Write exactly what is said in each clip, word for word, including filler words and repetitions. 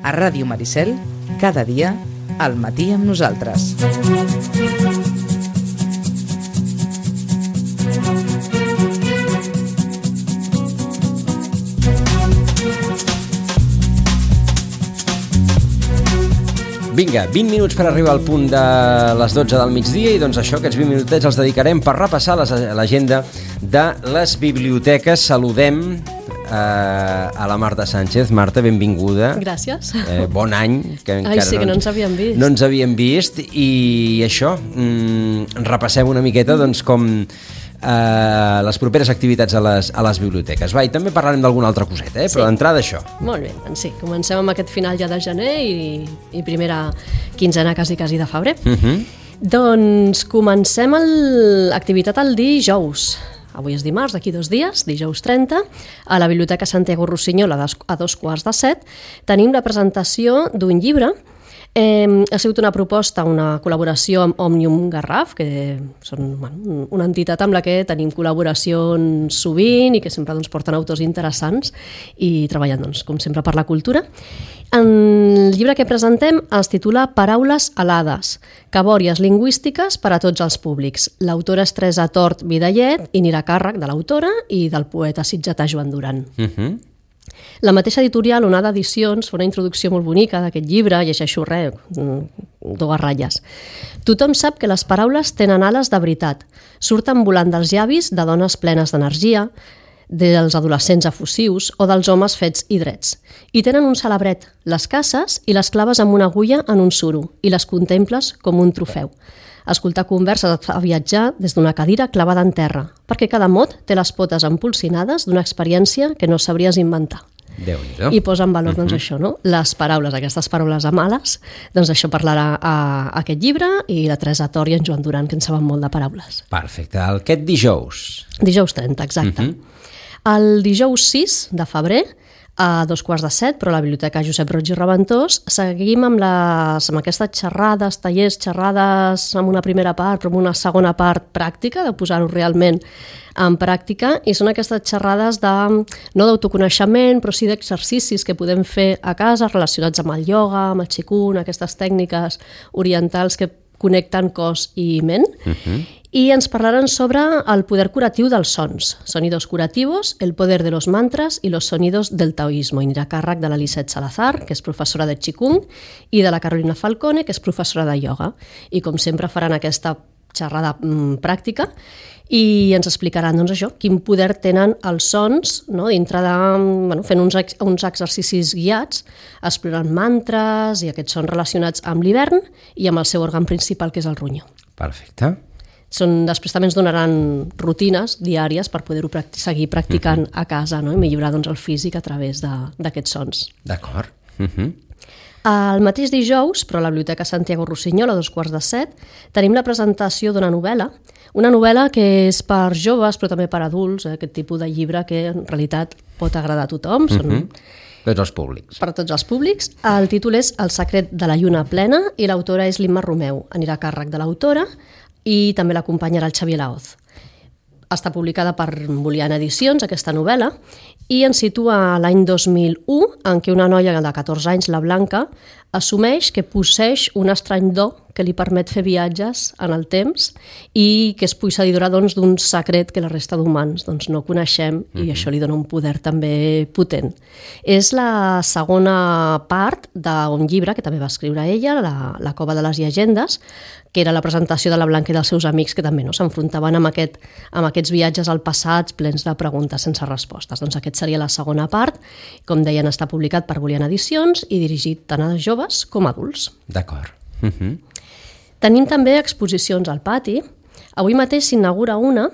A Ràdio Maricel, cada dia, al matí amb nosaltres. Vinga, vint minuts per arribar al punt de les dotze del migdia i doncs això, aquests vint minutets els dedicarem per repassar l'agenda de les biblioteques. Saludem eh, a la Marta Sánchez. Marta, benvinguda. Gràcies. Eh, bon any. Que Ai, sí, que no ens havíem vist. No ens havíem vist i això, mm, repassem una miqueta doncs com... Uh, les properes activitats a les, a les biblioteques. Va, i també parlarem d'alguna altra coseta, eh? Però sí. D'entrada això. Molt bé, doncs sí, comencem amb aquest final ja de gener i, i primera quinzena quasi quasi de febrer. Uh-huh. Doncs comencem l'activitat el dijous. Avui és dimarts, d'aquí dos dies, dijous trenta, a la Biblioteca Santiago Rossinyol a dos quarts de set, tenim la presentació d'un llibre. Eh, ha sigut una proposta, una col·laboració amb Òmnium Garraf, que són bueno, una entitat amb la que tenim col·laboracions sovint i que sempre doncs, porten autors interessants i treballen, doncs, com sempre, per la cultura. El llibre que presentem es titula Paraules alades, cabòries lingüístiques per a tots els públics. L'autora és Teresa Tort Vidallet i anirà a càrrec de l'autora i del poeta sitgetà Joan Duran. Uh-huh. La mateixa editorial, Onada Edicions, fa una introducció molt bonica d'aquest llibre, llegeixo res, dues ratlles. Tothom sap que les paraules tenen ales de veritat, surten volant dels llavis de dones plenes d'energia, dels adolescents efusius o dels homes fets i drets. I tenen un celebret, les caces i les claves amb una agulla en un suro, i les contemples com un trofeu. Escoltar converses et fa viatjar des d'una cadira clavada en terra, perquè cada mot té les potes empolsinades d'una experiència que no sabries inventar. Déu-n'hi-do. I posa en valor doncs, uh-huh. això, no? Les paraules, aquestes paraules amales, doncs això parlarà a, a aquest llibre i la Teresa Tort i en Joan Duran, que en saben molt de paraules. Perfecte. Aquest dijous. Dijous trenta, exacte. Uh-huh. El dijous sis de febrer, a dos quarts de set, però a la Biblioteca Josep Roig i Reventós, seguim amb, les, amb aquestes xerrades, tallers, xerrades amb una primera part, però amb una segona part pràctica, de posar-ho realment en pràctica, i són aquestes xerrades de, no d'autoconeixement, però sí d'exercicis que podem fer a casa relacionats amb el ioga, amb el qigong, aquestes tècniques orientals que connecten cos i ment. Uh-huh. I ens parlaran sobre el poder curatiu dels sons, sonidos curativos, el poder de los mantras i los sonidos del taoísmo. I anirà a càrrec de la Lisette Salazar, que és professora de qigong, i de la Carolina Falcone, que és professora de ioga. I com sempre faran aquesta xerrada mm, pràctica i ens explicaran doncs, això, quin poder tenen els sons, no? Dintre de, bueno, fent uns, ex, uns exercicis guiats, explorant mantres i aquests sons relacionats amb l'hivern i amb el seu òrgan principal, que és el ronyó. Perfecte. Són, després també ens donaran rutines diàries per poder-ho practi- seguir practicant uh-huh. a casa, no? I millorar doncs, el físic a través d'aquests sons. D'acord. Uh-huh. El mateix dijous, però a la Biblioteca Santiago Rossinyol, a dos quarts de set, tenim la presentació d'una novel·la, una novel·la que és per joves, però també per adults, eh? Aquest tipus de llibre que en realitat pot agradar a tothom. Són... Uh-huh. Tots els públics. Per tots els públics. El títol és El secret de la lluna plena i l'autora és l'Imma Romeu. Anirà a càrrec de l'autora i també l'acompanyarà el Xavier Laoz. Està publicada per Boliana Edicions, aquesta novel·la, i ens situa l'any dos mil u, en què una noia de catorze anys, la Blanca, assumeix que posseix un estrany do que li permet fer viatges en el temps i que és posseïdora doncs, d'un secret que la resta d'humans doncs, no coneixem i mm-hmm. això li dona un poder també potent. És la segona part d'un llibre que també va escriure ella, La, la cova de les llegendes, que era la presentació de la Blanca i dels seus amics que també no s'enfrontaven amb, aquest, amb aquests viatges al passat plens de preguntes sense respostes. Doncs aquest seria la segona part. Com deien, està publicat per Boliana Edicions i dirigit tant a joves com a adults. D'acord. Uh-huh. Tenim també exposicions al pati. Avui mateix s'inaugura una.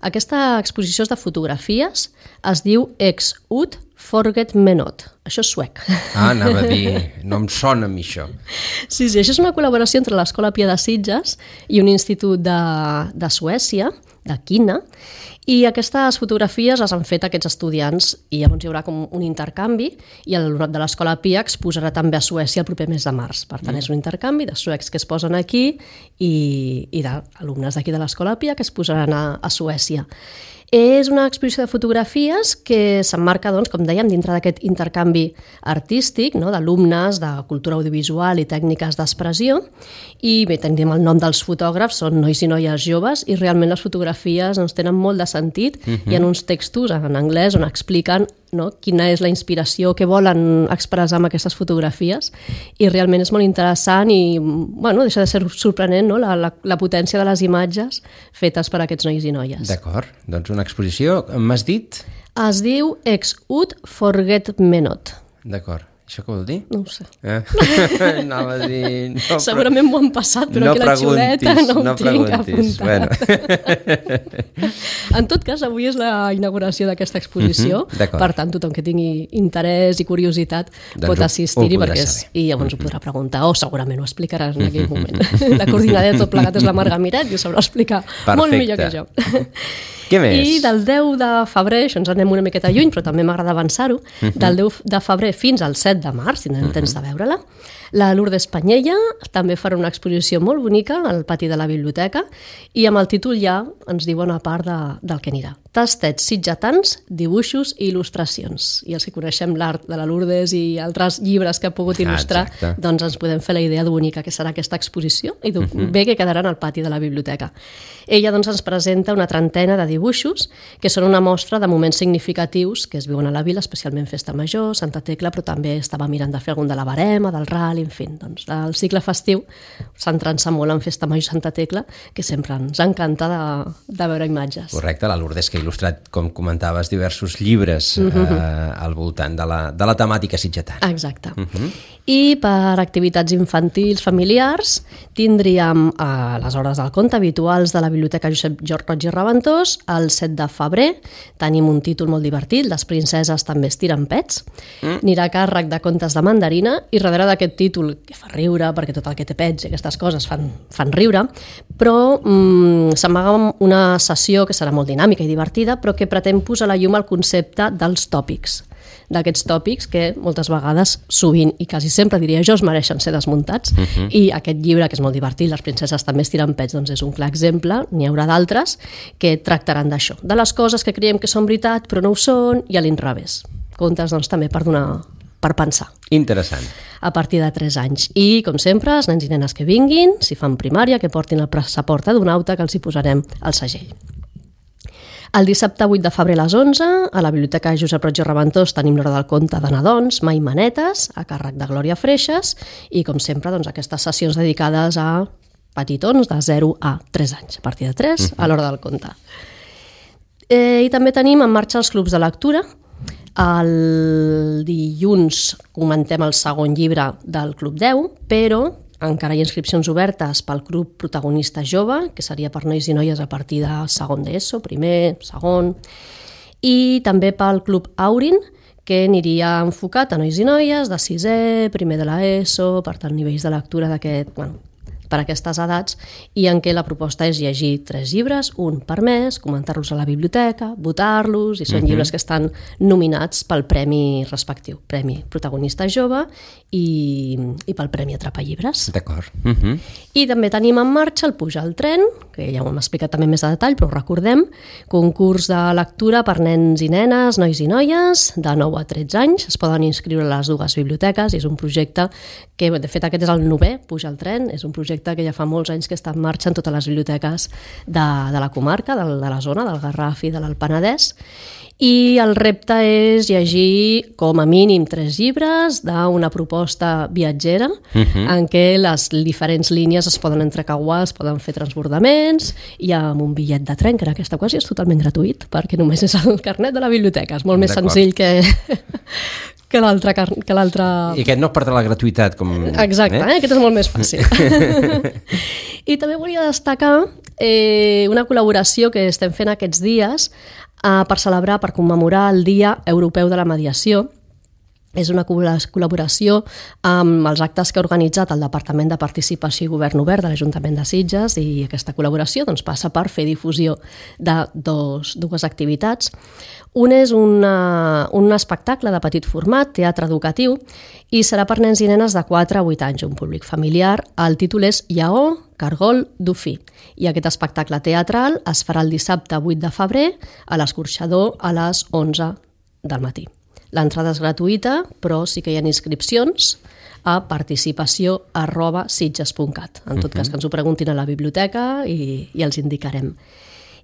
Aquesta exposició és de fotografies. Es diu Ex ut forget me not. Això és suec. Ah, anava a dir, no em sona a mi això. Sí, sí, això és una col·laboració entre l'Escola Pia de Sitges i un institut de, de Suècia, de Quina, i aquestes fotografies les han fet aquests estudiants i llavors hi haurà com un intercanvi i l'alumnat de l'Escola Pia exposarà també a Suècia el proper mes de març. Per tant, mm. és un intercanvi de suecs que es posen aquí i, i d'alumnes d'aquí de l'Escola Pia que es posaran a, a Suècia. És una exposició de fotografies que s'emmarca, doncs, com dèiem, dintre d'aquest intercanvi artístic, no?, d'alumnes de cultura audiovisual i tècniques d'expressió. I bé, tenim el nom dels fotògrafs, són nois i noies joves, i realment les fotografies doncs, tenen molt de sentit. Uh-huh. Hi ha uns textos en anglès on expliquen, no?, quina és la inspiració, què volen expressar amb aquestes fotografies, i realment és molt interessant i, bueno, deixa de ser sorprenent, no?, la, la, la potència de les imatges fetes per aquests nois i noies. D'acord, doncs una exposició, m'has dit? Es diu Ex Ut Forget Me Not. D'acord. Això què vol dir? No ho sé. Eh? Anava a dir... No, segurament m'ho han passat, però no aquí la xuleta no ho no tinc apuntat. Bueno. En tot cas, avui és la inauguració d'aquesta exposició, uh-huh, per tant, tothom que tingui interès i curiositat doncs pot assistir-hi, perquè és, i llavors uh-huh. ho podrà preguntar, o segurament ho explicaràs en aquell moment. La coordinadora de tot plegat és la Marga Miret i ho sabrà explicar Perfecte. Molt millor que jo. Què més? I del deu de febrer, això ens anem una miqueta lluny, però també m'agrada avançar-ho, uh-huh. del deu de febrer fins al set de març, si tindrem uh-huh. temps de veure-la, la Lourdes Panyella també farà una exposició molt bonica al pati de la biblioteca i amb el títol ja ens diu una part de, del que anirà. Tastets sitgetans, dibuixos i il·lustracions. I els que coneixem l'art de la Lourdes i altres llibres que ha pogut il·lustrar, ah, doncs ens podem fer la idea de bonica que serà aquesta exposició i uh-huh. bé que quedaran al pati de la biblioteca. Ella doncs ens presenta una trentena de dibuixos que són una mostra de moments significatius que es viuen a la vila, especialment Festa Major, Santa Tecla, però també estava mirant de fer algun de la Barema, del Ral, en fi, doncs el cicle festiu centrant-se molt en Festa Major i Santa Tecla, que sempre ens encanta de, de veure imatges. Correcte, la Lourdes que ha il·lustrat, com comentaves, diversos llibres uh-huh. eh, al voltant de la, de la temàtica sitgetana. Exacte. Uh-huh. I per activitats infantils familiars tindríem a les hores del conte habituals de la Biblioteca Josep Roig i Reventós. El set de febrer tenim un títol molt divertit, Les princeses també estiren pets. Mm. Anirà a càrrec de contes de mandarina i darrere d'aquest títol, que fa riure, perquè tot el que té pets i aquestes coses fan, fan riure, però mm, s'amaga una sessió que serà molt dinàmica i divertida, però que pretén posar a la llum el concepte dels tòpics. D'aquests tòpics que moltes vegades, sovint i quasi sempre diria jo, es mereixen ser desmuntats. Uh-huh. I aquest llibre, que és molt divertit, Les princeses també estiren pets, doncs és un clar exemple, n'hi haurà d'altres que tractaran d'això, de les coses que creiem que són veritat però no ho són, i a l'inrevés. Contes doncs també per donar, per pensar. Interessant. A partir de tres anys. I, com sempre, els nens i nenes que vinguin, si fan primària, que portin el passaport adonauta, que els hi posarem al segell. El dissabte vuit de febrer a les onze, a la Biblioteca Josep Roig i Reventós tenim l'hora del conte de nadons, Mai Manetes, a càrrec de Glòria Freixas, i com sempre doncs, aquestes sessions dedicades a petitons de zero a tres anys, a partir de tres, uh-huh. a l'hora del conte. Eh, I també tenim en marxa els clubs de lectura. El dilluns comentem el segon llibre del Club deu, però encara hi ha inscripcions obertes pel Club Protagonista Jove, que seria per nois i noies a partir de segon d'ESO, primer, segon, i també pel Club Aurin, que aniria enfocat a nois i noies de sisè, primer de l'ESO, per tant, nivells de lectura d'aquest, bueno, per aquestes edats, i en què la proposta és llegir tres llibres, un per mes, comentar-los a la biblioteca, votar-los, i són uh-huh. llibres que estan nominats pel premi respectiu, Premi Protagonista Jove i, i pel Premi Atrapallibres. D'acord. Uh-huh. I també tenim en marxa el Puja al tren, que ja ho hem explicat també més a detall, però ho recordem, concurs de lectura per nens i nenes, nois i noies, de nou a tretze anys, es poden inscriure a les dues biblioteques, i és un projecte que, de fet, aquest és el novè, Puja al tren, és un projecte que ja fa molts anys que està en marxa en totes les biblioteques de, de la comarca, de, de la zona, del Garraf i de l'Alt Penedès, i el repte és llegir com a mínim tres llibres d'una proposta viatgera uh-huh. en què les diferents línies es poden entrecauar, es poden fer transbordaments, i amb un bitllet de tren, que en aquesta ocasió és totalment gratuït, perquè només és el carnet de la biblioteca, és molt més senzill que... que l'altre... Que l'altre... I aquest no perdrà la gratuïtat. Com... Exacte, eh? Eh? Aquest és molt més fàcil. I també volia destacar eh, una col·laboració que estem fent aquests dies eh, per celebrar, per commemorar el Dia Europeu de la Mediació. És una col·laboració amb els actes que ha organitzat el Departament de Participació i Govern Obert de l'Ajuntament de Sitges, i aquesta col·laboració doncs, passa per fer difusió de dos, dues activitats. Un és una, un espectacle de petit format, teatre educatiu, i serà per nens i nenes de quatre a vuit anys, un públic familiar. El títol és Lleó, Cargol Dufí. I aquest espectacle teatral es farà el dissabte vuit de febrer a l'Escorxador a les onze del matí. L'entrada és gratuïta, però sí que hi ha inscripcions a participació arroba sitges punt cat. En tot cas, que ens ho preguntin a la biblioteca i, i els indicarem.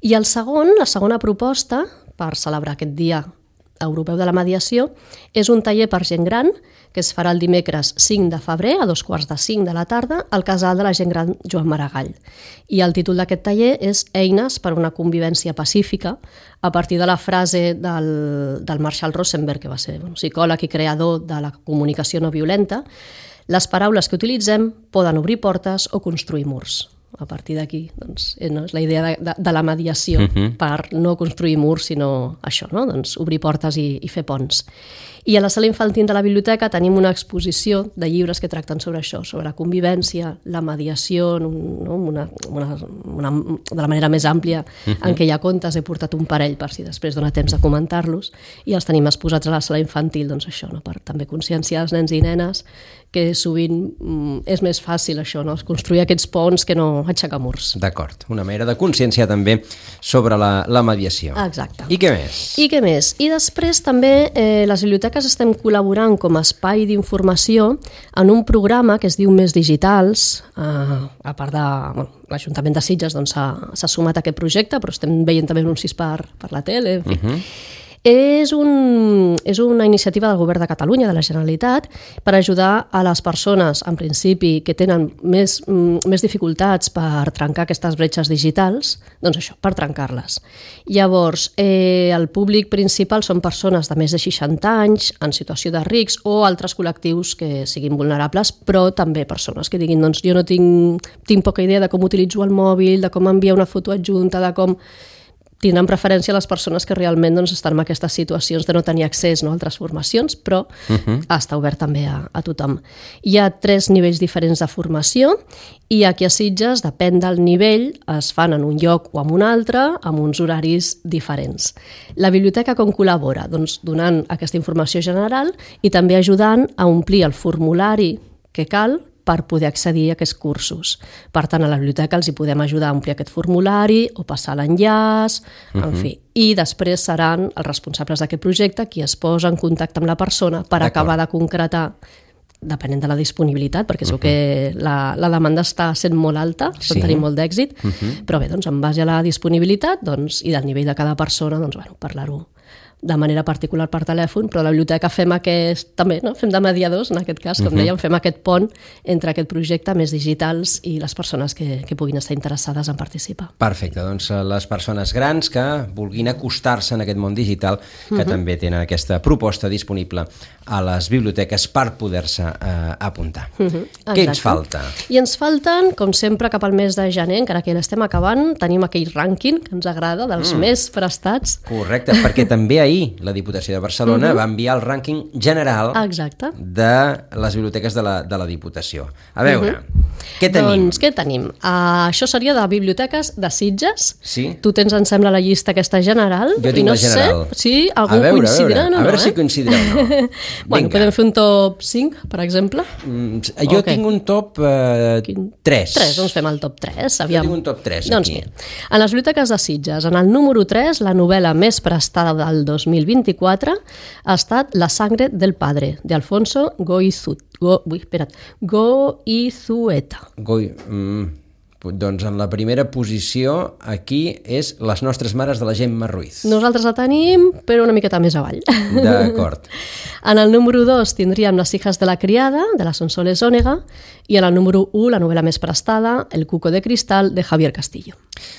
I el segon, la segona proposta, per celebrar aquest Dia Europeu de la Mediació, és un taller per gent gran que es farà el dimecres cinc de febrer a dos quarts de cinc de la tarda al Casal de la Gent Gran Joan Maragall. I el títol d'aquest taller és Eines per una convivència pacífica, a partir de la frase del, del Marshall Rosenberg, que va ser un psicòleg i creador de la comunicació no violenta: les paraules que utilitzem poden obrir portes o construir murs. A partir d'aquí, doncs, no, és la idea de, de, de la mediació, uh-huh. per no construir murs, sinó això, no? Doncs, obrir portes i, i fer ponts. I a la sala infantil de la biblioteca tenim una exposició de llibres que tracten sobre això, sobre la convivència, la mediació, no? una, una, una, de la manera més àmplia, uh-huh. en què hi ha contes. He portat un parell per si després dona temps de comentar-los, i els tenim exposats a la sala infantil, doncs això, no? Per també conscienciar els nens i nenes que sovint mm, és més fàcil això, no? Construir aquests ponts que no aixecar murs. D'acord, una manera de conscienciar també sobre la, la mediació. Exacte. I què més? I què més? I després també eh, les biblioteques estem col·laborant com a espai d'informació en un programa que es diu Més Digitals. Eh, a part de... Bueno, l'Ajuntament de Sitges doncs, s'ha, s'ha sumat a aquest projecte, però estem veient també anuncis per, per la tele, en fi. Uh-huh. És, un, és una iniciativa del Govern de Catalunya, de la Generalitat, per ajudar a les persones, en principi, que tenen més, més dificultats per trencar aquestes bretxes digitals, doncs això, per trencar-les. Llavors, eh, el públic principal són persones de més de seixanta anys, en situació de risc, o altres col·lectius que siguin vulnerables, però també persones que diguin, doncs jo no tinc, tinc poca idea de com utilitzo el mòbil, de com enviar una foto adjunta, de com... Tindran preferència les persones que realment doncs, estan en aquestes situacions de no tenir accés, no, a altres formacions, però uh-huh. està obert també a, a tothom. Hi ha tres nivells diferents de formació i aquí a Sitges, depèn del nivell, es fan en un lloc o en un altre, amb uns horaris diferents. La biblioteca com col·labora? Doncs donant aquesta informació general i també ajudant a omplir el formulari que cal per poder accedir a aquests cursos. Per tant, a la biblioteca els hi podem ajudar a omplir aquest formulari o passar l'enllaç, uh-huh. en fi. I després seran els responsables d'aquest projecte qui es posa en contacte amb la persona per D'acord. acabar de concretar, depenent de la disponibilitat, perquè uh-huh. segur que la, la demanda està sent molt alta, sí. tenim molt d'èxit, uh-huh. però bé, doncs, en base a la disponibilitat doncs, i del nivell de cada persona, doncs, bueno, parlar-ho de manera particular per telèfon, però a la biblioteca fem aquest, també, no? Fem de mediadors, en aquest cas, com uh-huh. dèiem, fem aquest pont entre aquest projecte Més Digitals i les persones que, que puguin estar interessades en participar. Perfecte, doncs les persones grans que vulguin acostar-se en aquest món digital, que uh-huh. també tenen aquesta proposta disponible a les biblioteques per poder-se eh, apuntar. Uh-huh. Què ens falta? I ens falten, com sempre, cap al mes de gener, encara que l'estem acabant, tenim aquell rànquing que ens agrada, dels mm. més prestats. Correcte, perquè també ahir la Diputació de Barcelona uh-huh. va enviar el rànquing general Exacte. de les biblioteques de la, de la Diputació. A veure, uh-huh. què tenim? Doncs què tenim? Uh, això seria de biblioteques de Sitges. Sí. Tu tens, em sembla, la llista aquesta general. Jo tinc no la general. Sé si algú a veure, coincidirà a veure, o no. A veure eh? si coincidirà o no. Bueno, podem fer un top cinc, per exemple? Mm, jo okay. tinc un top eh, tres. tres, doncs fem el top tres. Aviam. Jo tinc un top tres doncs aquí. Mira, en les biblioteques de Sitges, en el número tres, la novel·la més prestada del dos mil vint-i-quatre ha estat La sangre del padre, de Alfonso Goizueta. Go, ui, espera't, Goizueta. Goi, mm, doncs en la primera posició aquí és Les nostres mares de la Gemma Ruiz. Nosaltres la tenim, però una miqueta més avall. D'acord. En el número dos tindríem Las hijas de la criada, de la Sonsoles Ònega, i en el número u, la novel·la més prestada, El cuco de cristal, de Javier Castillo.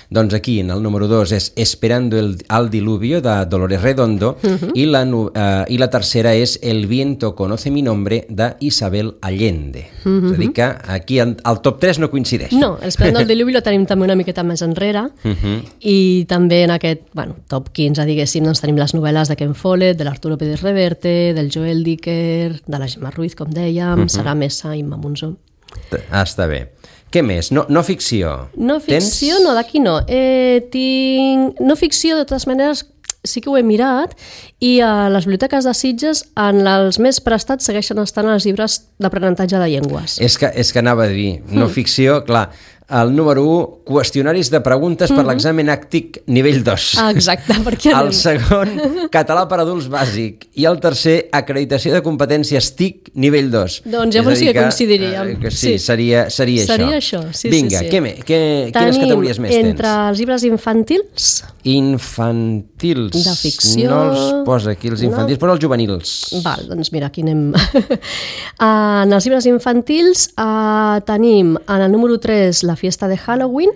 Doncs aquí, en el número dos, és Esperando el, al diluvio, de Dolores Redondo, uh-huh. i, la, uh, i la tercera és El viento conoce mi nombre, de Isabel Allende. Uh-huh. És a dir que aquí el, el top tres no coincideix. No, Esperando el diluvio la tenim també una miqueta més enrere, uh-huh. i també en aquest bueno, top quinze, diguéssim, doncs tenim les novel·les de Ken Follett, de l'Arturo Pérez Reverte, del Joel Dicker, de la Gemma Ruiz, com dèiem, uh-huh. Sara Mesa i Imma Monzó. Ah, està bé. Què més? No, no ficció. No ficció, Tens? no, d'aquí no. Eh, tinc... No ficció, de totes maneres, sí que ho he mirat, i a les biblioteques de Sitges, en els més prestats, segueixen estant els llibres d'aprenentatge de llengües. És que, és que anava a dir, no mm. ficció, clar, el número u, qüestionaris de preguntes per mm -hmm. l'examen àctic nivell dos. Ah, exacte, perquè El segon, català per adults bàsic. I el tercer, acreditació de competències T I C nivell dos. Doncs ja sí que coincidiríem. Eh, que sí, sí, seria, seria, seria això. això. Sí, Vinga, sí, sí. Què, què, quines categories més tens? tens? Entre els llibres infantils... Infantils. De ficció... No els posa aquí, els infantils, no. Però els juvenils. Val, doncs mira, aquí anem... uh, en els llibres infantils uh, tenim en el número tres la fiesta de Halloween,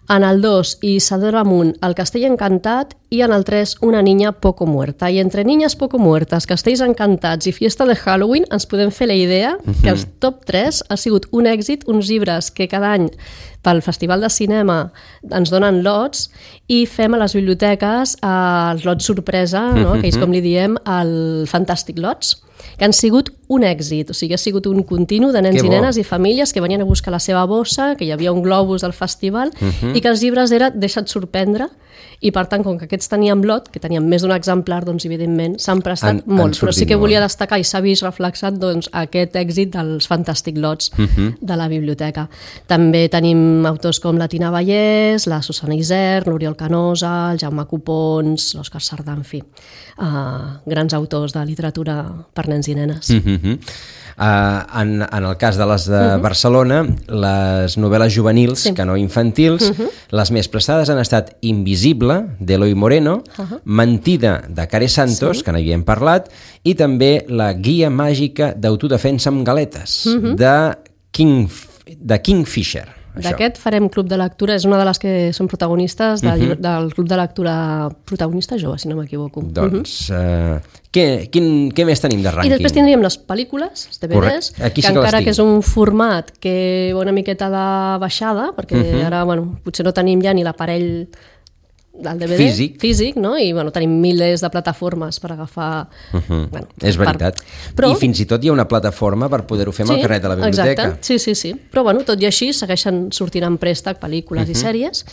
en el dos Isadora Amunt, el castell encantat, i en el tres Una niña poco muerta. I entre niñas poco muertas, castells encantats i fiesta de Halloween ens podem fer la idea uh-huh. que el top tres ha sigut un èxit, uns llibres que cada any pel Festival de Cinema ens donen lots i fem a les biblioteques eh, els lots sorpresa, no? Uh-huh. Que és com li diem el Fantàstic Lots, que han sigut un èxit, o sigui, ha sigut un continu de nens i nenes i famílies que venien a buscar la seva bossa, que hi havia un globus del festival uh-huh. i que els llibres era deixa't sorprendre, i per tant, com que aquests tenien lot, que tenien més d'un exemplar, doncs evidentment s'han prestat han, molt, han però sí que volia molt. Destacar i s'ha vist reflexat doncs, aquest èxit dels Fantàstic Lots uh-huh. de la biblioteca. També tenim autors com la Tina Vallès, la Susana Isern, l'Oriol Canosa, el Jaume Copons, l'Òscar Sardà, en fi, uh, grans autors de literatura per nens i nenes. Uh-huh. Uh, en, en el cas de les de uh-huh. Barcelona, les novel·les juvenils, sí. que no infantils, uh-huh. les més prestades han estat Invisible, d'Eloi Moreno, uh-huh. Mentida, de Care Santos, sí. que n'havíem parlat, i també La guia màgica d'autodefensa amb galetes, uh-huh. de, King, de Kingfisher. D'aquest farem Club de Lectura, és una de les que són protagonistes del, uh-huh. del Club de Lectura protagonista jove, si no m'equivoco. Doncs, uh-huh. uh, què, quin, què més tenim de rànquing? I després tindríem les pel·lícules, els D V Ds, que sí encara que, que és un format que una miqueta de baixada, perquè uh-huh. ara, bueno, potser no tenim ja ni l'aparell del D V D físic, físic no? I bueno, tenim milers de plataformes per agafar... Uh-huh. Bueno, és veritat. Per... Però... I fins i tot hi ha una plataforma per poder-ho fer amb sí, el carnet de la biblioteca. Exacte. Sí, sí, sí. Però bueno, tot i així segueixen sortint en préstec pel·lícules uh-huh. i sèries.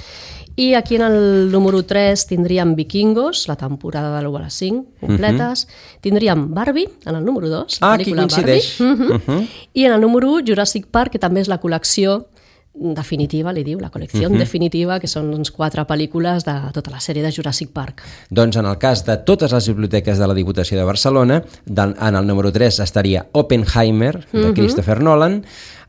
I aquí en el número tres tindríem Vikingos, la temporada de l'u a les cinc, completes. Uh-huh. Tindríem Barbie, en el número dos, la ah, pel·lícula Barbie. Uh-huh. Uh-huh. I en el número u, Jurassic Park, que també és la col·lecció definitiva, li diu, la col·lecció uh-huh. definitiva, que són doncs, quatre pel·lícules de tota la sèrie de Jurassic Park. Doncs en el cas de totes les biblioteques de la Diputació de Barcelona, en el número tres estaria Oppenheimer, de uh-huh. Christopher Nolan,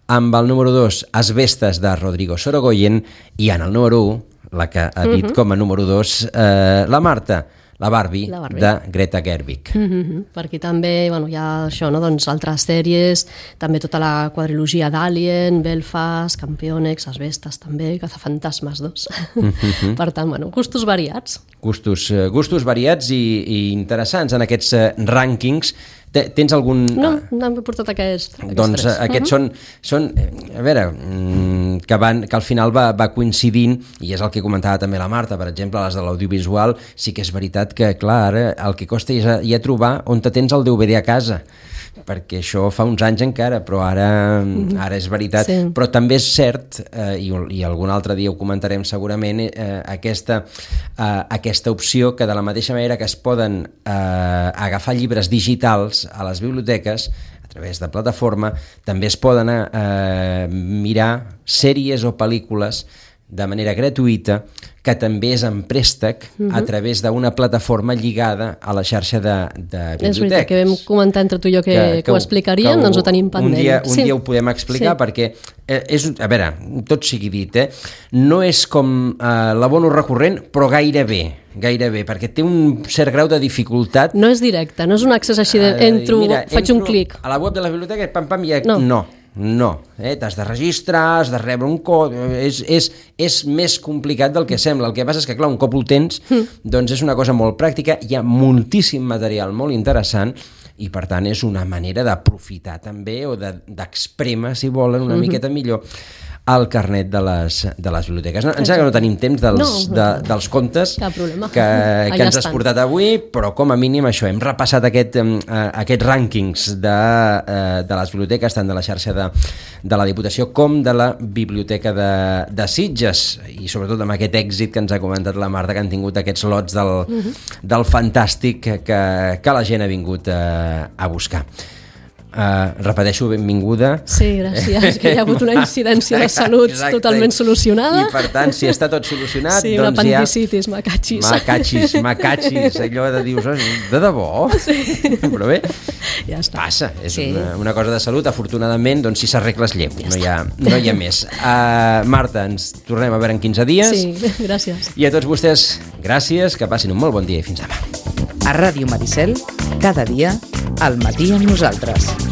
amb el número dos, Asbestes, de Rodrigo Sorogoyen, i en el número u, la que ha dit uh-huh. com a número dos, eh, la Marta, La Barbie, la Barbie, de Greta Gerwig. Mm-hmm. Per aquí també bueno, hi ha això, no? Doncs altres sèries, també tota la quadrilogia d'Alien, Belfast, Campeonex, Asbestes també, Cazafantasmes dos. Mm-hmm. Per tant, bueno, gustos variats. Gustos, gustos variats i, i interessants en aquests rànquings. Tens algun... No, no hem portat aquest, aquests doncs tres. Aquests uh-huh. són, són, a veure, que, van, que al final va, va coincidint, i és el que comentava també la Marta, per exemple, les de l'audiovisual, sí que és veritat que, clar, ara el que costa és ja trobar on te tens el D V D a casa, perquè això fa uns anys encara, però ara, ara és veritat. Sí. Però també és cert, eh, i, i algun altre dia ho comentarem segurament, eh, aquesta, eh, aquesta opció que de la mateixa manera que es poden eh, agafar llibres digitals a les biblioteques, a través de plataforma, també es poden eh, mirar sèries o pel·lícules de manera gratuïta, que també és en préstec uh-huh. a través d'una plataforma lligada a la xarxa de, de biblioteques. És veritat, que vam comentar entre tu i jo que, que, que ho explicaríem, doncs ho tenim pendent. Un dia, un sí. dia ho podem explicar, sí. perquè, eh, és, a veure, tot sigui dit, eh, no és com eh, l'abono recurrent, però gairebé, gairebé, perquè té un cert grau de dificultat. No és directe, no és un accés així de entro, Mira, faig entro un clic. A la web de la biblioteca, pam, pam, i no. no. No, eh? T'has de registrar, has de rebre un codi, és, és, és més complicat del que sembla. El que passa és que, clar, un cop ho tens, mm. doncs és una cosa molt pràctica, hi ha moltíssim material molt interessant i, per tant, és una manera d'aprofitar també o d'exprémer, de, si volen, una mm-hmm. miqueta millor el carnet de les, de les biblioteques. No, em sembla que no tenim temps dels, no, no, de, dels contes que, que ens has portat avui, però com a mínim això, hem repassat aquest, eh, aquests rànquings de, eh, de les biblioteques, tant de la xarxa de, de la Diputació com de la Biblioteca de, de Sitges, i sobretot amb aquest èxit que ens ha comentat la Marta, que han tingut aquests lots del, uh-huh. del fantàstic que, que la gent ha vingut a, a buscar. Uh, repeteixo, benvinguda. Sí, gràcies, que hi ha hagut una incidència de salut Exacte. Totalment solucionada. I per tant, si està tot solucionat, sí, doncs una apendicitis, ja... macachis. Macachis, macachis, allò de dius, de debò? Sí. Però bé, ja està. Passa, és sí. una, una cosa de salut, afortunadament, doncs si s'arregles lleu, ja no, hi ha, no hi ha més. Uh, Marta, ens tornem a veure en quinze dies. Sí, gràcies. I a tots vostès, gràcies, que passin un molt bon dia i fins demà. A Ràdio Maricel, cada dia, al matí amb nosaltres.